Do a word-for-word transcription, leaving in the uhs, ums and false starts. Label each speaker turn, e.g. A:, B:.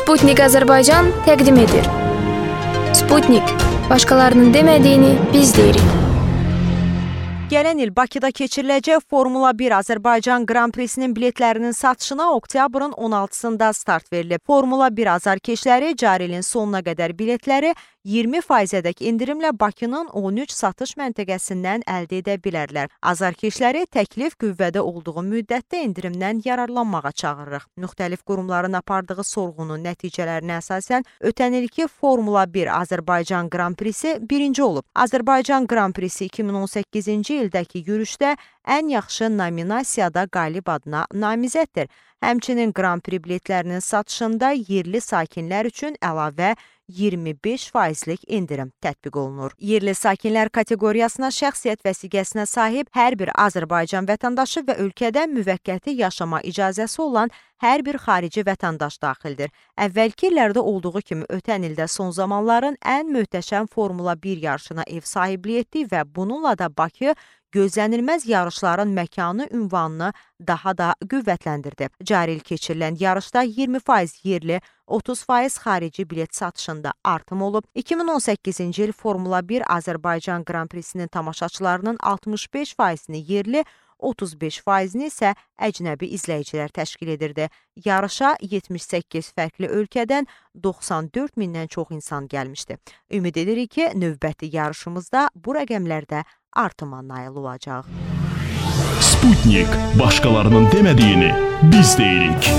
A: Sputnik Azərbaycan təqdim edir. Sputnik, başqalarının demədiyini biz deyirik.
B: Gələn il Bakıda keçiriləcək Formula bir Azərbaycan Qran Prisinin biletlərinin satışına oktyabrın on altısında start verilib. Formula bir azarkeşləri cari ilin sonuna qədər biletləri iyirmi faizədək indirimlə Bakının on üç satış məntəqəsindən əldə edə bilərlər. Azarkeşləri təklif qüvvədə olduğu müddətdə indirimdən yararlanmağa çağırırıq. Müxtəlif qurumların apardığı sorğunun nəticələrinə əsasən ötən ilki Formula bir Azərbaycan Qran Prisi birinci olub. Azərbaycan Qran Prisi iki min on səkkizinci ildəki yürüşdə ən yaxşı nominasiyada qalib adına namizəddir. Həmçinin Qran Pri biletlərinin satışında yerli sakinlər üçün əlavə iyirmi beş faizlik indirim tətbiq olunur. Yerli sakinlər kateqoriyasına şəxsiyyət vəsiqəsinə sahib hər bir Azərbaycan vətəndaşı və ölkədə müvəqqəti yaşama icazəsi olan hər bir xarici vətəndaş daxildir. Əvvəlki illərdə olduğu kimi ötən ildə son zamanların ən möhtəşəm Formula bir yarışına ev sahibliyi etdi və bununla da Bakı gözlənilməz yarışların məkanı ünvanını daha da qüvvətləndirdi. Cari il keçirilən yarışda iyirmi faiz yerli, otuz faiz xarici bilet satışında artım olub. iki min on səkkizinci il Formula bir Azərbaycan Qran Prisinin tamaşaçılarının altmış beş faizini yerli, otuz beş faizini isə əcnəbi izləyicilər təşkil edirdi. Yarışa yetmiş səkkiz fərqli ölkədən doxsan dörd mindən çox insan gəlmişdi. Ümid edirik ki, növbəti yarışımızda bu rəqəmlərdə artıma nail olacaq.
C: Sputnik, başqalarının demədiyini biz deyirik.